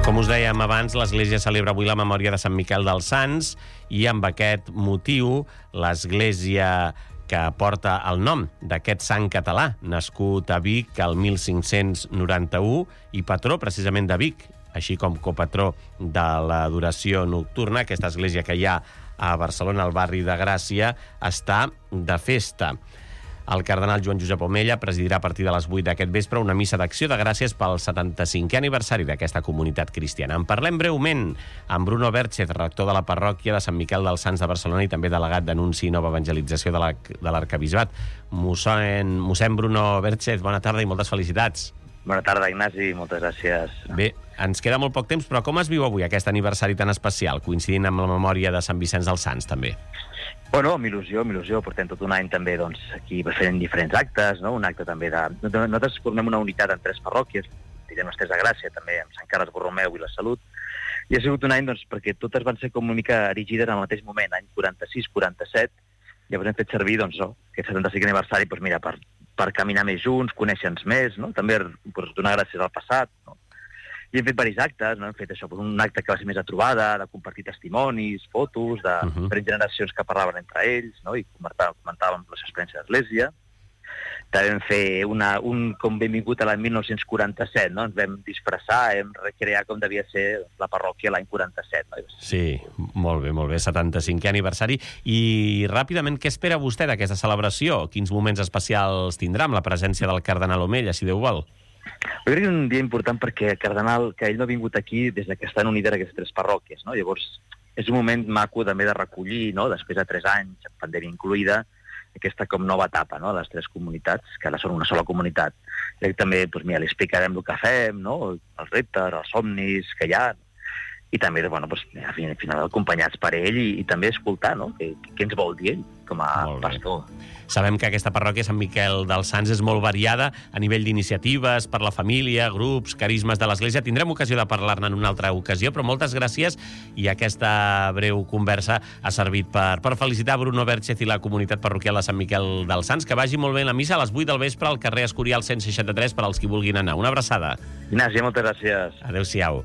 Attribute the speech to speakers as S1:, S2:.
S1: Com us dèiem abans, l'Església celebra avui la memòria de Sant Miquel dels Sants i amb aquest motiu l'Església que porta el nom d'aquest sant català, nascut a Vic el 1591 i patró precisament de Vic, així com copatró de l'adoració nocturna. Aquesta església que hi ha a Barcelona, al barri de Gràcia, està de festa. El cardenal Joan Josep Omella presidirà a partir de les 8 d'aquest vespre una missa d'acció de gràcies pel 75è aniversari d'aquesta comunitat cristiana. En parlem breument amb Bruno Berchez, rector de la parròquia de Sant Miquel dels Sants de Barcelona i també delegat d'Anunci i Nova Evangelització de l'Arquebisbat. Mossèn Bruno Berchez, bona tarda i moltes felicitats.
S2: Bona tarda, Ignasi, moltes gràcies.
S1: Bé, ens queda molt poc temps, però com es viu avui aquest aniversari tan especial, coincidint amb la memòria de Sant Vicenç dels Sants, també?
S2: Bueno, amb il·lusió. Portem tot un any també aquí fent diferents actes, no? Un acte també de... Nosaltres formem una unitat en 3 parròquies, direm les 3 de Gràcia, també amb Sant Carles Borromeu i la Salut, i ha sigut un any perquè totes van ser com una mica erigides al mateix moment, any 46-47, llavors hem fet servir aquest 75 aniversari per caminar més junts, conèixer-nos més, no? També donar gràcies al passat, no? I hem fet diversos actes, no? Hem fet això, un acte que va ser més a trobada, de compartir testimonis, fotos, de diferents generacions que parlaven entre ells, no? I comentàvem les experiències de l'Església. També vam fer com benvingut a l'any 1947, no? Ens vam disfressar, vam recrear com devia ser la parròquia l'any 47. No?
S1: Sí, molt bé, 75è aniversari. I ràpidament, què espera vostè d'aquesta celebració? Quins moments especials tindrà amb la presència del cardenal Omella, si Déu vol?
S2: Jo crec que és un dia important perquè el cardenal, que ell no ha vingut aquí des que estan unides aquestes 3 parròquies, no? Llavors, és un moment maco també de recollir, no? Després de 3 anys, pandèmia incloïda, aquesta com nova etapa, no? Les 3 comunitats, que ara són una sola comunitat. Crec que també, li explicarem el que fem, no? Els reptes, els somnis que hi ha, i també, al final acompanyats per ell i també escoltar, no? Què ens vol dir ell com a pastor.
S1: Sabem que aquesta parròquia Sant Miquel dels Sants és molt variada a nivell d'iniciatives per la família, grups, carismes de l'Església. Tindrem ocasió de parlar-ne en una altra ocasió, però moltes gràcies i aquesta breu conversa ha servit per felicitar Bruno Berchez i la comunitat parroquial de Sant Miquel dels Sants. Que vagi molt bé la missa a les 8 del vespre al carrer Escorial 163 per als qui vulguin anar. Una abraçada.
S2: Ignasi, moltes gràcies.
S1: Adéu-siau.